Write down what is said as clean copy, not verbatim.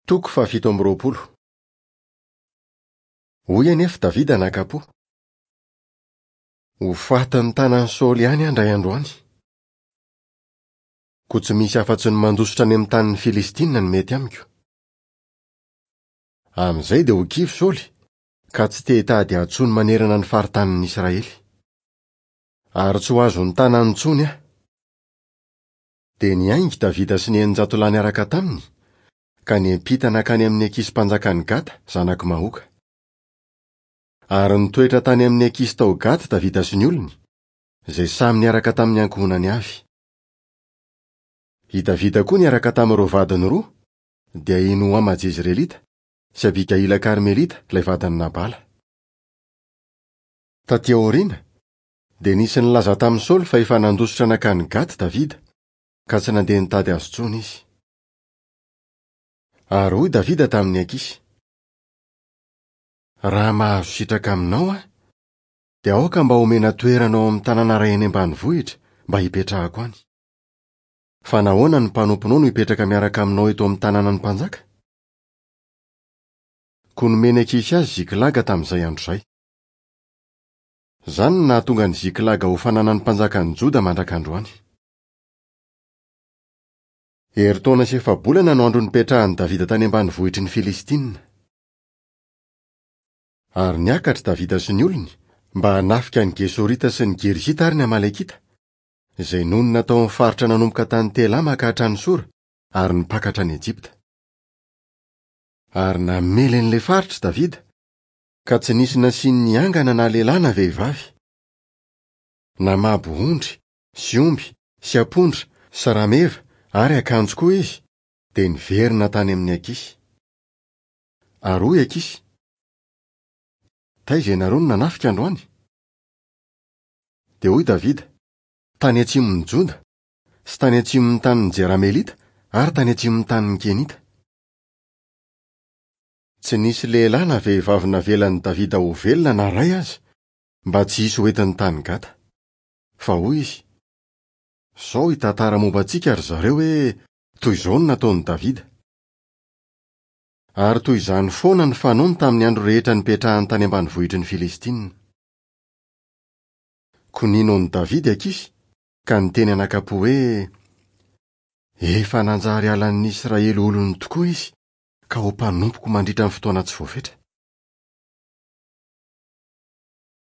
Toko fahafito amby roapolo. Hoy anefa Davida naka-po, Ho fatin'ny tanan'i Saoly ihany aho indray andro any. Koa tsy misy afa-tsy ny mandositra any amin'ny tanin'ny Filistina no mety amiko. Amin'izay dia ho kivy Saoly, ka tsy te hitady ahy intsony manerana ny faritanin'ny Israely. Ary tsy ho azon'ny tanany intsony aho. Dia niainga i Davida sy ny 600 lahy niaraka taminy, ka niampita nankany amin'i Akisy mpanjakan'i Gata, zanak'i Maoka. Ary nitoetra tany amin'i Akisy tao Gata Davida sy ny olony, izay samy niaraka tamin'ny ankohonany avy. I Davida koa niaraka tamin'ireo vadiny roa, dia i Noama Jezirelita sy Abigaila Karmelita, ilay vadin'i Nabala. Tatỳ aoriana, Dia nisy nilaza tamin'i Saoly fa efa nandositra nankany Gaty Davida, ka tsy nandeha nitady azy intsony izy. Ary hoy Davida tamin'i Akisy, Raha mahazo sitraka aminao aho, dia aoka mba homena toerana ao amin'ny tanàna iray any ambanivohitra mba hipetrahako any. Fa nahoana ny mpanomponao no hipetraka miaraka aminao eto amin'ny tanànan'ny mpanjaka? Koa nomen'i Akisy azy Ziklaga tamin'izay andro izay. Izany no nahatonga an'i Ziklaga ho fananan'ny mpanjakan'i Joda mandraka androany. Herintaona sy efa-bolana no andro nipetrahan'i Davida tany ambanivohitry ny Filistina. Ary niakatra Davida sy ny olony mba hanafika ny Gesorita sy ny Girzita ary ny Amalekita, izay nonina tao amin'ny faritra nanomboka tany Telama ka hatrany Sora ary nipaka hatrany Ejipta. Ary namely an'ilay faritra Davida, ka tsy nisy nasiany niangana na lehilahy na vehivavy. Namabo ondry, sy omby, sy ampondra, sy rameva, ary akanjo koa izy, dia niverina tany amin'i Akisy. Ary hoy Akisy, Taiza ianareo no nanafika androany? Dia hoy Davida, Tany atsimon'i Joda, sy tany atsimon'ny tanin'ny Jeramelita, ary tany atsimon'ny tanin'ny Kenita. Tsy nisy lehilahy na vehivavy navelan'i Davida ho velona na iray aza, mba tsy hisy hoentiny tany Gata. Fa hoy izy, Sao hitantara momba antsika ry zareo hoe, 'Toy izao no nataon'i Davida. Ary toy izany foana ny fanaony tamin'ny andro rehetra nipetrahany tany ambanivohitry ny Filistinina. Koa nino an'i Davida i Akisy, ka niteny anakam-po hoe, Efa nanjary halan'ny Israely olony tokoa izy, ka ho mpanompoko mandritra ny fotoana tsy voafetra.